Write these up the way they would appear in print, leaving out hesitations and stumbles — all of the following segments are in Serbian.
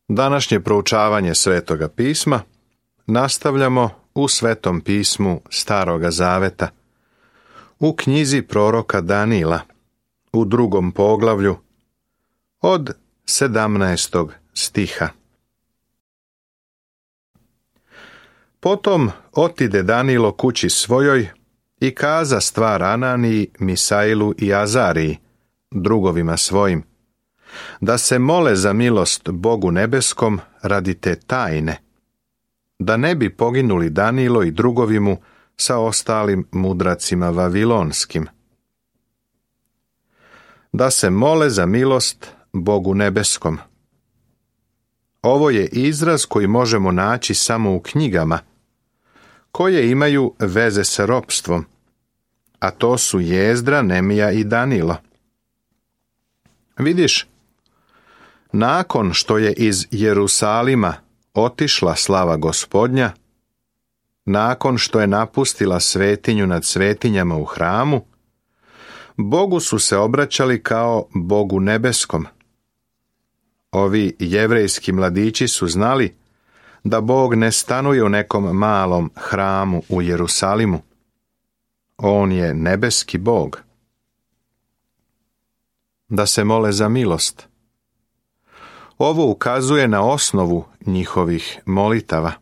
Današnje proučavanje Svetoga pisma nastavljamo u Svetom pismu Staroga Zaveta, u knjizi proroka Danila, u 2. poglavlju, od 17. stiha. Potom otide Danilo kući svojoj i kaza stvar Ananiji, Misailu i Azariji, drugovima svojim, da se mole za milost Bogu nebeskom radi te tajne, da ne bi poginuli Danilo i drugovi mu sa ostalim mudracima vavilonskim. Da se mole za milost Bogu nebeskom. Ovo je izraz koji možemo naći samo u knjigama, koje imaju veze sa ropstvom, a to su Jezdra, Nemija i Danilo. Vidiš, nakon što je iz Jerusalima otišla slava Gospodnja, nakon što je napustila svetinju nad svetinjama u hramu, Bogu su se obraćali kao Bogu nebeskom. Ovi jevrejski mladići su znali da Bog ne stanuje u nekom malom hramu u Jerusalimu. On je nebeski Bog. Da se mole za milost. Ovo ukazuje na osnovu njihovih molitava.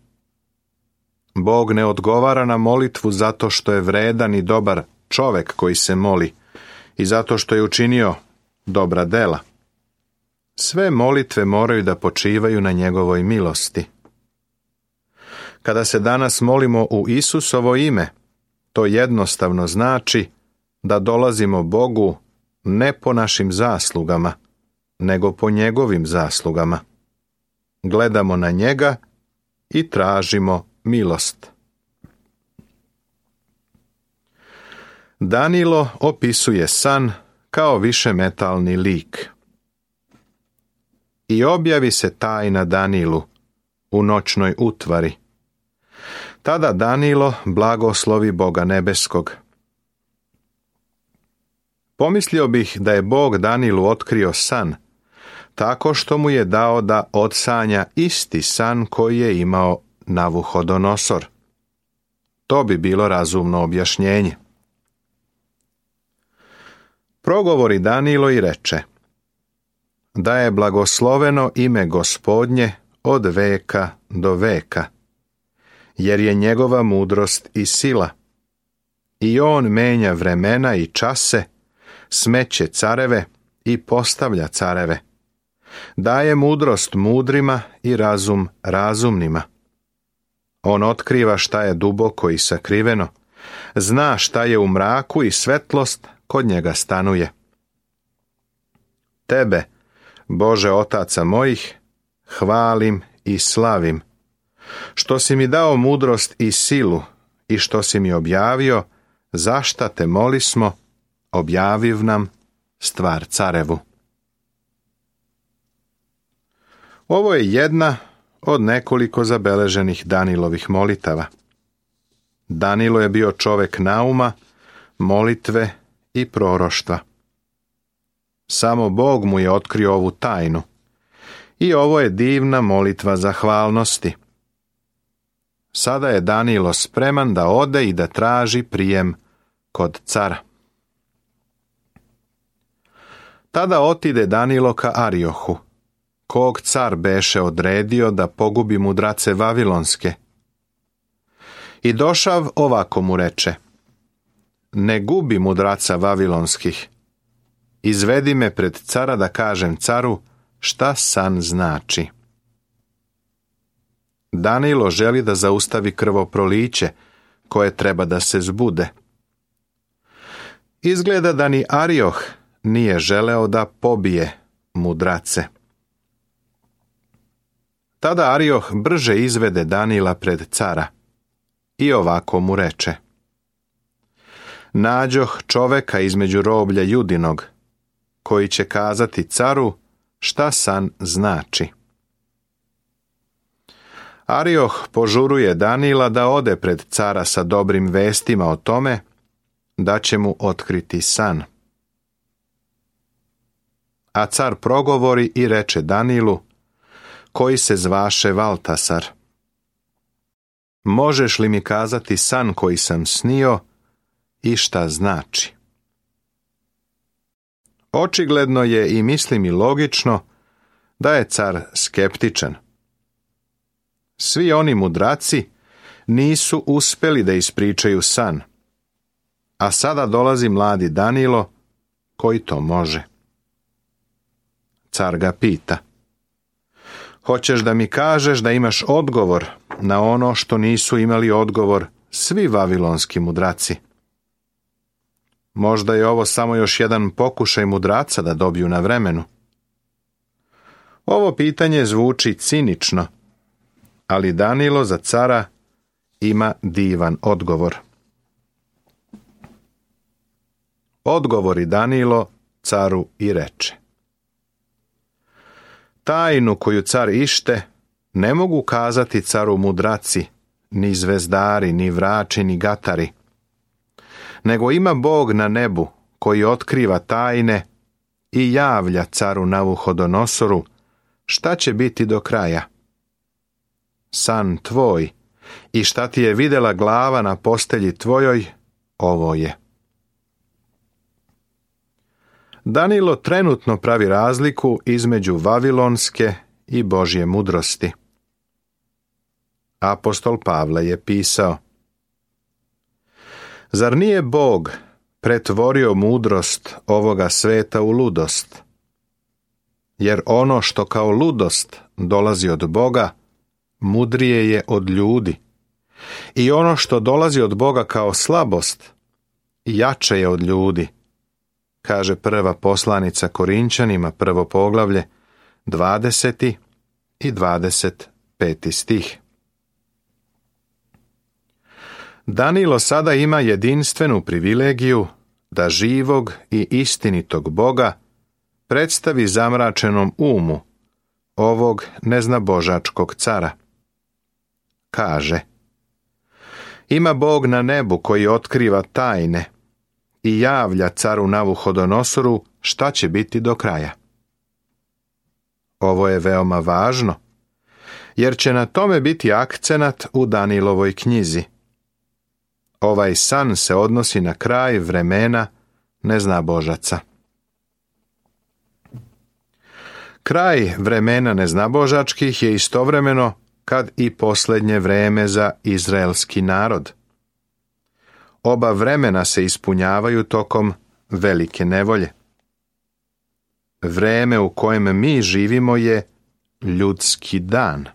Bog ne odgovara na molitvu zato što je vredan i dobar čovek koji se moli i zato što je učinio dobra dela. Sve molitve moraju da počivaju na njegovoj milosti. Kada se danas molimo u Isusovo ime, to jednostavno znači da dolazimo Bogu ne po našim zaslugama, nego po njegovim zaslugama. Gledamo na njega i tražimo milost. Danilo opisuje san kao višemetalni lik. I objavi se tajna Danilu u noćnoj utvari. Tada Danilo blagoslovi Boga nebeskog. Pomislio bih da je Bog Danilu otkrio san, tako što mu je dao da odsanja isti san koji je imao Navuhodonosor. To bi bilo razumno objašnjenje. Progovori Danilo i reče: da je blagosloveno ime Gospodnje od veka do veka, jer je njegova mudrost i sila. I on menja vremena i čase, smeće careve i postavlja careve. Daje mudrost mudrima i razum razumnima. On otkriva šta je duboko i sakriveno, zna šta je u mraku i svetlost kod njega stanuje. Tebe, Bože otaca mojih, hvalim i slavim, što si mi dao mudrost i silu i što si mi objavio, zašta te molismo, objaviv nam stvar carevu. Ovo je jedna od nekoliko zabeleženih Danilovih molitava. Danilo je bio čovek nauma, molitve i proroštva. Samo Bog mu je otkrio ovu tajnu. I ovo je divna molitva zahvalnosti. Sada je Danilo spreman da ode i da traži prijem kod cara. Tada otide Danilo ka Ariohu, kog car beše odredio da pogubi mudrace vavilonske. I došav ovako mu reče: ne gubi mudraca vavilonskih. Izvedi me pred cara da kažem caru šta san znači. Danilo želi da zaustavi krvoproliće koje treba da se zbude. Izgleda da ni Arioh nije želeo da pobije mudrace. Tada Arioh brže izvede Danila pred cara i ovako mu reče: nađoh čoveka između roblja Judinog, koji će kazati caru šta san znači. Arioh požuruje Danila da ode pred cara sa dobrim vestima o tome da će mu otkriti san. A car progovori i reče Danilu: koji se zvaše Valtasar. Možeš li mi kazati san koji sam snio i šta znači? Očigledno je i mislim i logično da je car skeptičan. Svi oni mudraci nisu uspjeli da ispričaju san, a sada dolazi mladi Danilo koji to može. Car ga pita: hoćeš da mi kažeš da imaš odgovor na ono što nisu imali odgovor svi vavilonski mudraci? Možda je ovo samo još jedan pokušaj mudraca da dobiju na vremenu. Ovo pitanje zvuči cinično, ali Danilo za cara ima divan odgovor. Odgovori Danilo caru i reče: tajnu koju car ište ne mogu kazati caru mudraci, ni zvezdari, ni vrači, ni gatari, nego ima Bog na nebu koji otkriva tajne i javlja caru Navuhodonosoru šta će biti do kraja. San tvoj i šta ti je vidjela glava na postelji tvojoj, ovo je. Danilo trenutno pravi razliku između vavilonske i Božje mudrosti. Apostol Pavle je pisao: zar nije Bog pretvorio mudrost ovoga sveta u ludost? Jer ono što kao ludost dolazi od Boga, mudrije je od ljudi. I ono što dolazi od Boga kao slabost, jače je od ljudi, kaže prva poslanica Korinčanima, 1. poglavlje, 20. i 25. stih. Danilo sada ima jedinstvenu privilegiju da živog i istinitog Boga predstavi zamračenom umu ovog neznabožačkog cara. Kaže: ima Bog na nebu koji otkriva tajne i javlja caru Navuhodonosoru šta će biti do kraja. Ovo je veoma važno, jer će na tome biti akcenat u Danilovoj knjizi. Ovaj san se odnosi na kraj vremena neznabožaca. Kraj vremena neznabožačkih je istovremeno kad i posljednje vreme za izraelski narod. Oba vremena se ispunjavaju tokom velike nevolje. Vreme u kojem mi živimo je ljudski dan.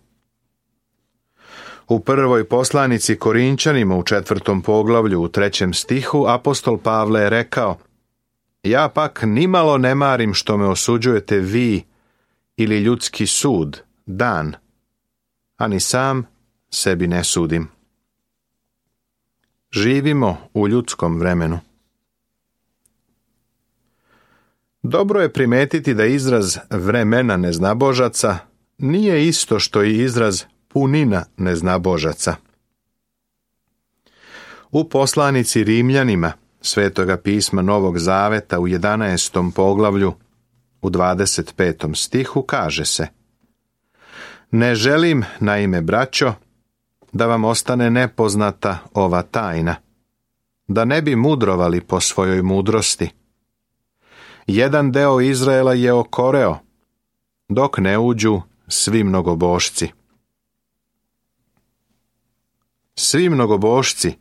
U prvoj poslanici Korinčanima u 4. poglavlju u 3. stihu apostol Pavle je rekao: ja pak nimalo ne marim što me osuđujete vi ili ljudski sud, dan, a ni sam sebi ne sudim. Živimo u ljudskom vremenu. Dobro je primetiti da izraz vremena neznabožaca nije isto što i izraz punina neznabožaca. U poslanici Rimljanima Svetoga pisma Novog Zaveta u 11. poglavlju u 25. stihu kaže se: ne želim, naime, braćo, da vam ostane nepoznata ova tajna, da ne bi mudrovali po svojoj mudrosti. Jedan deo Izraela je okoreo, dok ne uđu svi mnogobošci. Svi mnogobošci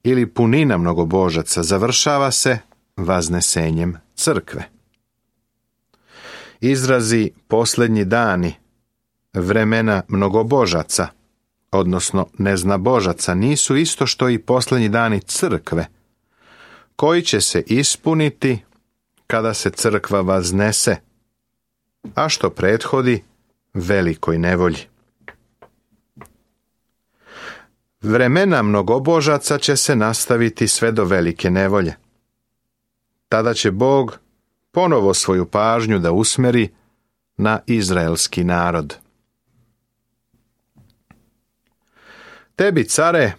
ili punina mnogobožaca završava se vaznesenjem crkve. Izrazi posljednji dani, vremena mnogobožaca, odnosno neznabožaca, nisu isto što i posljednji dani crkve, koji će se ispuniti kada se crkva vaznese, a što prethodi velikoj nevolji. Vremena mnogobožaca će se nastaviti sve do velike nevolje. Tada će Bog ponovo svoju pažnju da usmeri na izraelski narod. Tebi, care,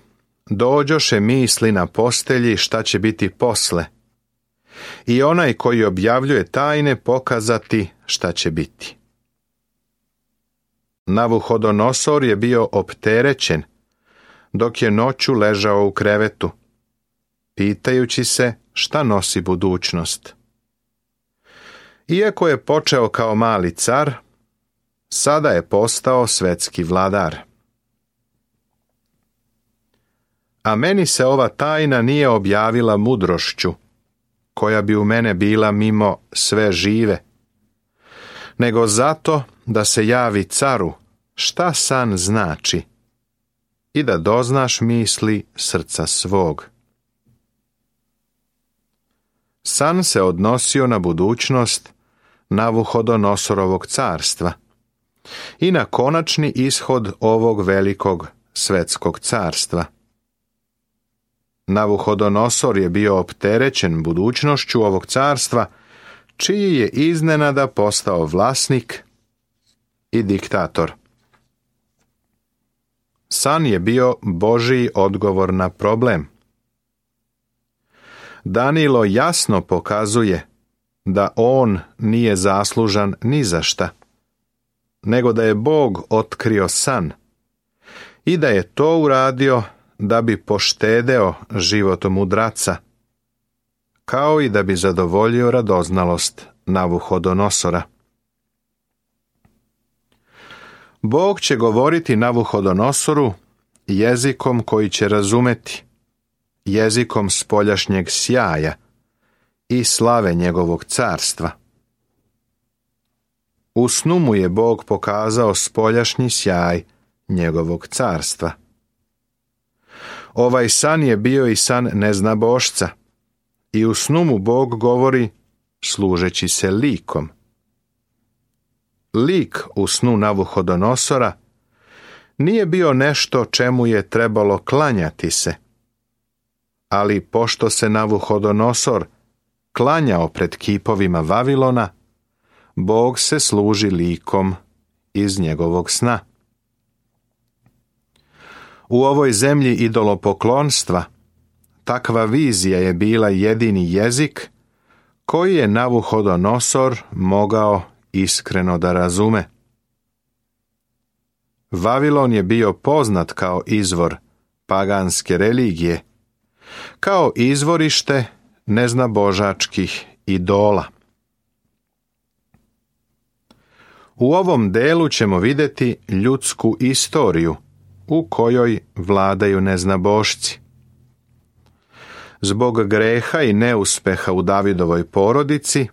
dođoše misli na postelji šta će biti posle, i onaj koji objavljuje tajne pokazati šta će biti. Navuhodonosor je bio opterećen, dok je noću ležao u krevetu, pitajući se šta nosi budućnost. Iako je počeo kao mali car, sada je postao svetski vladar. A meni se ova tajna nije objavila mudrošću, koja bi u mene bila mimo sve žive, nego zato da se javi caru šta san znači i da doznaš misli srca svog. San se odnosio na budućnost Navuhodonosorovog carstva i na konačni ishod ovog velikog svetskog carstva. Navuhodonosor je bio opterećen budućnošću ovog carstva, čiji je iznenada postao vlasnik i diktator. San je bio Božji odgovor na problem. Danilo jasno pokazuje da on nije zaslužan ni za šta, nego da je Bog otkrio san i da je to uradio da bi poštedeo život mudraca, kao i da bi zadovoljio radoznalost Navuhodonosora. Bog će govoriti Navuhodonosoru jezikom koji će razumeti, jezikom spoljašnjeg sjaja i slave njegovog carstva. U snu mu je Bog pokazao spoljašnji sjaj njegovog carstva. Ovaj san je bio i san neznabošca, i u snu mu Bog govori služeći se likom. Lik u snu Navuhodonosora nije bio nešto čemu je trebalo klanjati se, ali pošto se Navuhodonosor klanjao pred kipovima Vavilona, Bog se služi likom iz njegovog sna. U ovoj zemlji idolopoklonstva takva vizija je bila jedini jezik koji je Navuhodonosor mogao iskreno da razume. Vavilon je bio poznat kao izvor paganske religije, kao izvorište neznabožačkih idola. U ovom delu ćemo vidjeti ljudsku istoriju u kojoj vladaju neznabošci. Zbog greha i neuspeha u Davidovoj porodici,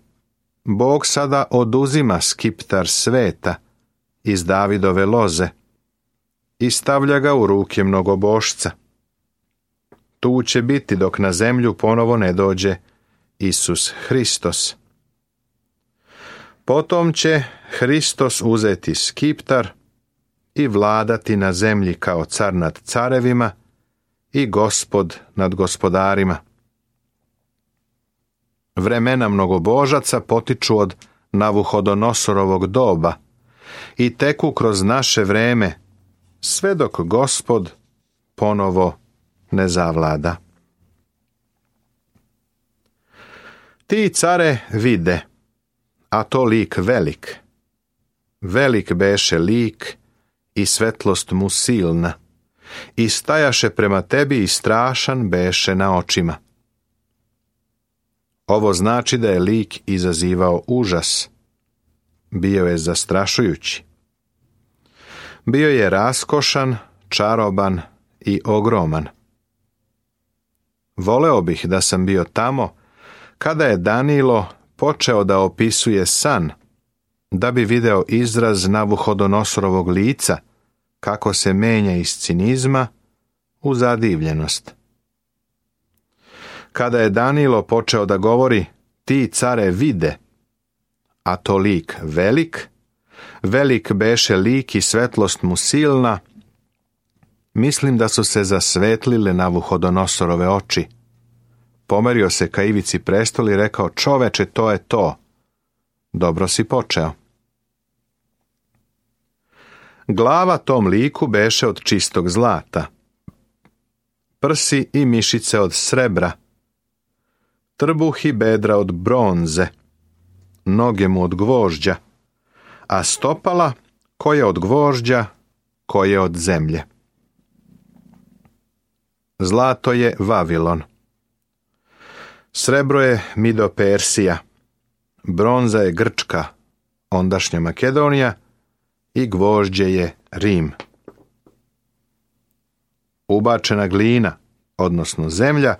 Bog sada oduzima skiptar sveta iz Davidove loze i stavlja ga u ruke mnogobošca. Tu će biti dok na zemlju ponovo ne dođe Isus Hristos. Potom će Hristos uzeti skiptar i vladati na zemlji kao car nad carevima i gospod nad gospodarima. Vremena mnogobožaca potiču od Navuhodonosorovog doba i teku kroz naše vreme, sve dok Gospod ponovo ne zavlada. Ti care vide, a to lik velik. Velik beše lik i svetlost mu silna, i stajaše prema tebi i strašan beše na očima. Ovo znači da je lik izazivao užas. Bio je zastrašujući. Bio je raskošan, čaroban i ogroman. Voleo bih da sam bio tamo kada je Danilo počeo da opisuje san, da bi video izraz Navuhodonosorovog lica, kako se menja iz cinizma u zadivljenost. Kada je Danilo počeo da govori, ti care vide, a to lik velik, velik beše lik i svetlost mu silna, mislim da su se zasvetlile Navuhodonosorove oči. Pomerio se ka ivici prestola i rekao, čoveče, to je to. Dobro si počeo. Glava tom liku beše od čistog zlata, prsi i mišice od srebra, trbuh i bedra od bronze, noge mu od gvožđa, a stopala koje od gvožđa, koje od zemlje. Zlato je Vavilon. Srebro je Mido-Persija. Bronza je Grčka, ondašnja Makedonija, i gvožđe je Rim. Ubačena glina, odnosno zemlja,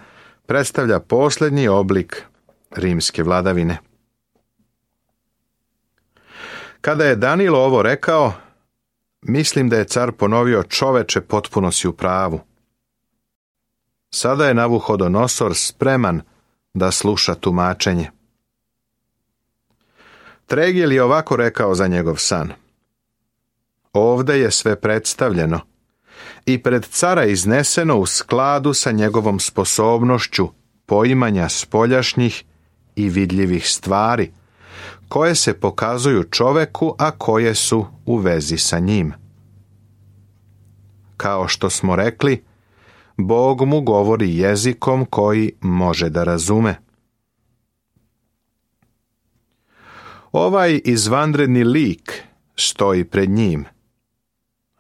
predstavlja posljednji oblik rimske vladavine. Kada je Danilo ovo rekao, mislim da je car ponovio: čoveče, potpuno si u pravu. Sada je Navuhodonosor spreman da sluša tumačenje. Tregel je ovako rekao za njegov san: ovde je sve predstavljeno i pred cara izneseno u skladu sa njegovom sposobnošću poimanja spoljašnjih i vidljivih stvari, koje se pokazuju čoveku, a koje su u vezi sa njim. Kao što smo rekli, Bog mu govori jezikom koji može da razume. Ovaj izvanredni lik stoji pred njim.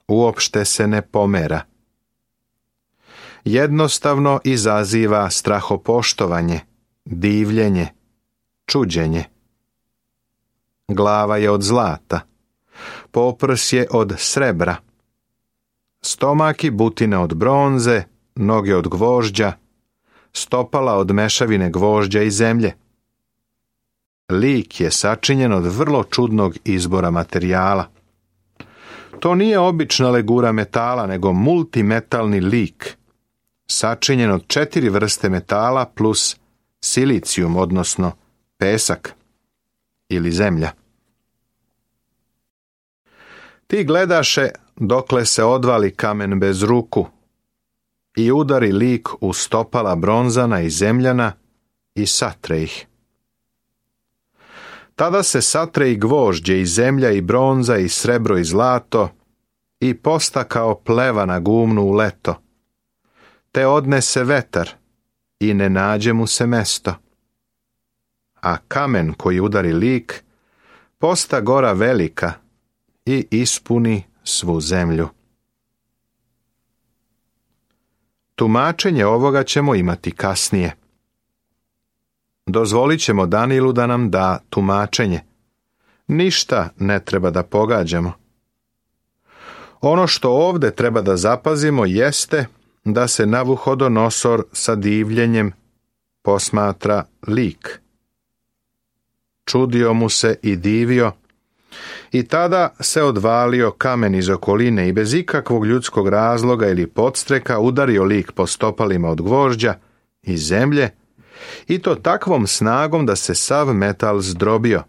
Uopšte se ne pomera. Jednostavno izaziva strahopoštovanje, divljenje, čuđenje. Glava je od zlata, poprs je od srebra, stomak i butine od bronze, noge od gvožđa, stopala od mešavine gvožđa i zemlje. Lik je sačinjen od vrlo čudnog izbora materijala. To nije obična legura metala, nego multimetalni lik, sačinjen od 4 vrste metala plus silicijum, odnosno pesak ili zemlja. Ti gledaše dokle se odvali kamen bez ruku i udari lik u stopala bronzana i zemljana i satre ih. Tada se satre i gvožđe i zemlja i bronza i srebro i zlato i posta kao pleva na gumnu u leto, te odnese vetar i ne nađe mu se mesto. A kamen koji udari lik posta gora velika i ispuni svu zemlju. Tumačenje ovoga ćemo imati kasnije. Dozvolit ćemo Danilu da nam da tumačenje. Ništa ne treba da pogađamo. Ono što ovde treba da zapazimo jeste da se Navuhodonosor sa divljenjem posmatra lik. Čudio mu se i divio, i tada se odvalio kamen iz okoline i bez ikakvog ljudskog razloga ili podstreka udario lik po stopalima od gvožđa i zemlje, i to takvom snagom da se sav metal zdrobio.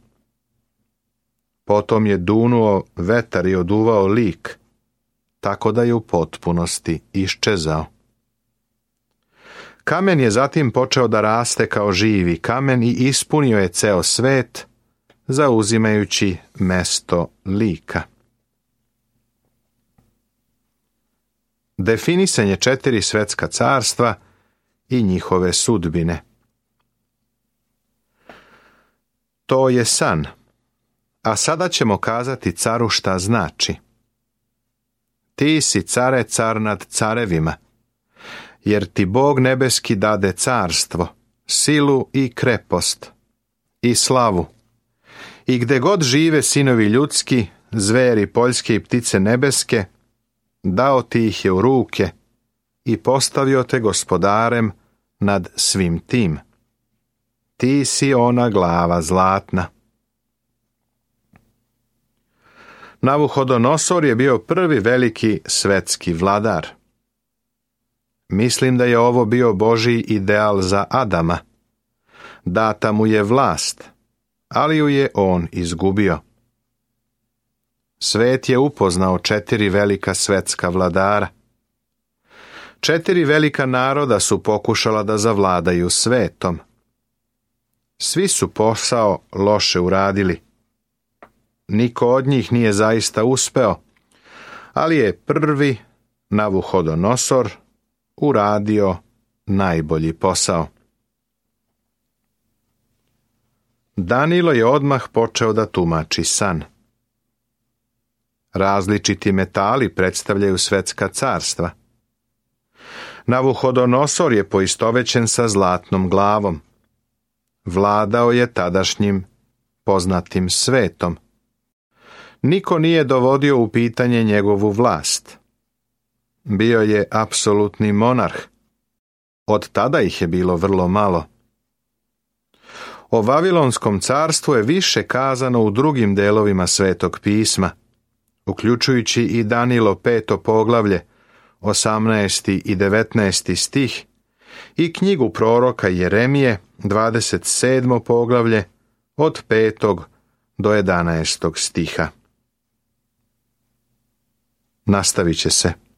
Potom je dunuo vetar i oduvao lik, tako da je u potpunosti iščezao. Kamen je zatim počeo da raste kao živi kamen i ispunio je ceo svet, zauzimajući mesto lika. Definisanje 4 svetska carstva i njihove sudbine. To je san, a sada ćemo kazati caru šta znači. Ti si, care, car nad carevima, jer ti Bog nebeski dade carstvo, silu i krepost, i slavu. I gde god žive sinovi ljudski, zveri poljske i ptice nebeske, dao ti ih je u ruke i postavio te gospodarem nad svim tim. Ti si ona glava zlatna. Navuhodonosor je bio prvi veliki svetski vladar. Mislim da je ovo bio Božji ideal za Adama. Data mu je vlast, ali ju je on izgubio. Svet je upoznao 4 velika svetska vladara. 4 velika naroda su pokušala da zavladaju svetom. Svi su posao loše uradili. Niko od njih nije zaista uspeo, ali je prvi, Navuhodonosor, uradio najbolji posao. Danilo je odmah počeo da tumači san. Različiti metali predstavljaju svetska carstva. Navuhodonosor je poistovećen sa zlatnom glavom. Vladao je tadašnjim poznatim svetom. Niko nije dovodio u pitanje njegovu vlast. Bio je apsolutni monarh. Od tada ih je bilo vrlo malo. O Vavilonskom carstvu je više kazano u drugim delovima Svetog pisma, uključujući i Danilo 5. poglavlje, 18. i 19. stih, i knjigu proroka Jeremije, 27. poglavlje, od 5. do 11. stiha. Nastavit će se.